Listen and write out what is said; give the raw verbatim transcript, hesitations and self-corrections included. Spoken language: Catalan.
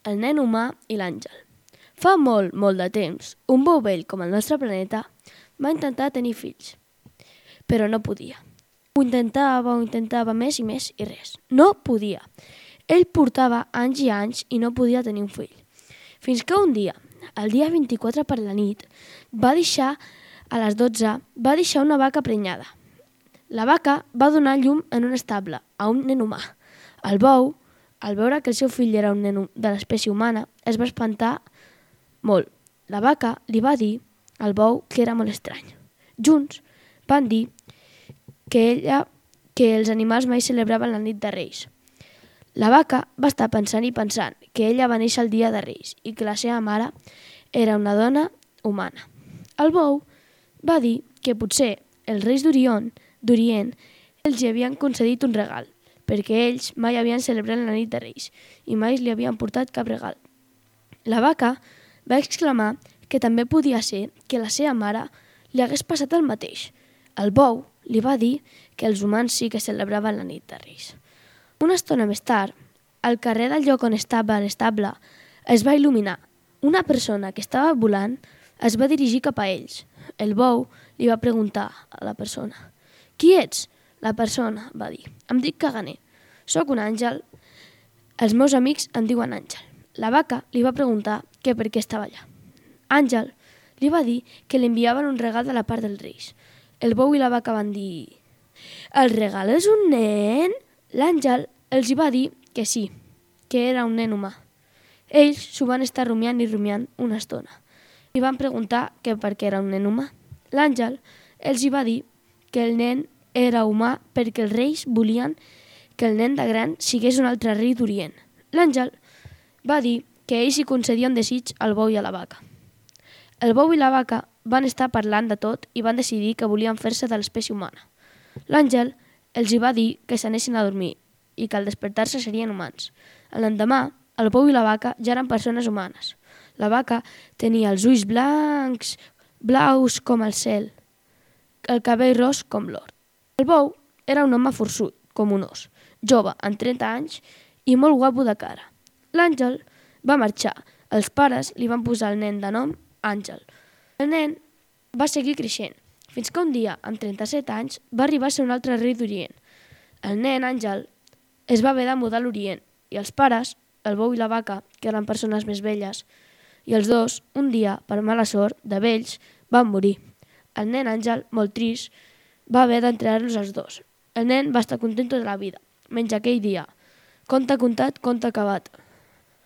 el nen humà i l'àngel. Fa molt, molt de temps, un bou vell com el nostre planeta va intentar tenir fills, però no podia. Ho intentava, ho intentava més i més i res. No podia. Ell portava anys i anys i no podia tenir un fill. Fins que un dia, el dia vint-i-quatre per la nit, va deixar, a les dotze, va deixar una vaca prenyada. La vaca va donar llum en un estable a un nen humà. El bou, al veure que el seu fill era un nen de l'espècie humana, es va espantar molt. La vaca li va dir al bou que era molt estrany. Junts van dir que ella, que els animals mai celebraven la nit de Reis. La vaca va estar pensant i pensant que ella va néixer el dia de Reis i que la seva mare era una dona humana. El bou va dir que potser els reis d'Orient d'Orient els hi havien concedit un regal, perquè ells mai havien celebrat la nit de Reis i mai li havien portat cap regal. La vaca va exclamar que també podia ser que la seva mare li hagués passat el mateix. El bou li va dir que els humans sí que celebraven la nit de Reis. Una estona més tard, al carrer del lloc on estava l'estable es va il·luminar. Una persona que estava volant es va dirigir cap a ells. El bou li va preguntar a la persona: «Qui ets?» La persona va dir: «Em dic Caganer, soc un àngel, els meus amics em diuen Àngel». La vaca li va preguntar que per què estava allà. Àngel li va dir que li enviaven un regal de la part dels reis. El bou i la vaca van dir: «El regal és un nen?» L'àngel els hi va dir que sí, que era un nen humà. Ells s'ho van estar rumiant i rumiant una estona i van preguntar que per què era un nen humà. L'àngel els hi va dir que el nen era humà perquè els reis volien que el nen de gran sigués un altre rei d'Orient. L'àngel va dir que ells hi concedien desig al bou i a la vaca. El bou i la vaca van estar parlant de tot i van decidir que volien fer-se de l'espècie humana. L'àngel els hi va dir que s'anessin a dormir i que al despertar-se serien humans. L'endemà, el bou i la vaca ja eren persones humanes. La vaca tenia els ulls blancs, blaus com el cel, el cabell ros com l'or. El bou era un home forçut, com un os, jove, amb trenta anys i molt guapo de cara. L'àngel va marxar. Els pares li van posar el nen de nom Àngel. El nen va seguir creixent, fins que un dia, amb trenta-set anys, va arribar a ser un altre rei d'Orient. El nen Àngel es va haver de mudar a l'Orient i els pares, el bou i la vaca, que eren persones més velles, i els dos, un dia, per mala sort, de vells, van morir. El nen Àngel, molt trist, va haver d'enterrar-los els dos. El nen va estar content tota la vida, menys aquell dia. Conte contat, conte acabat.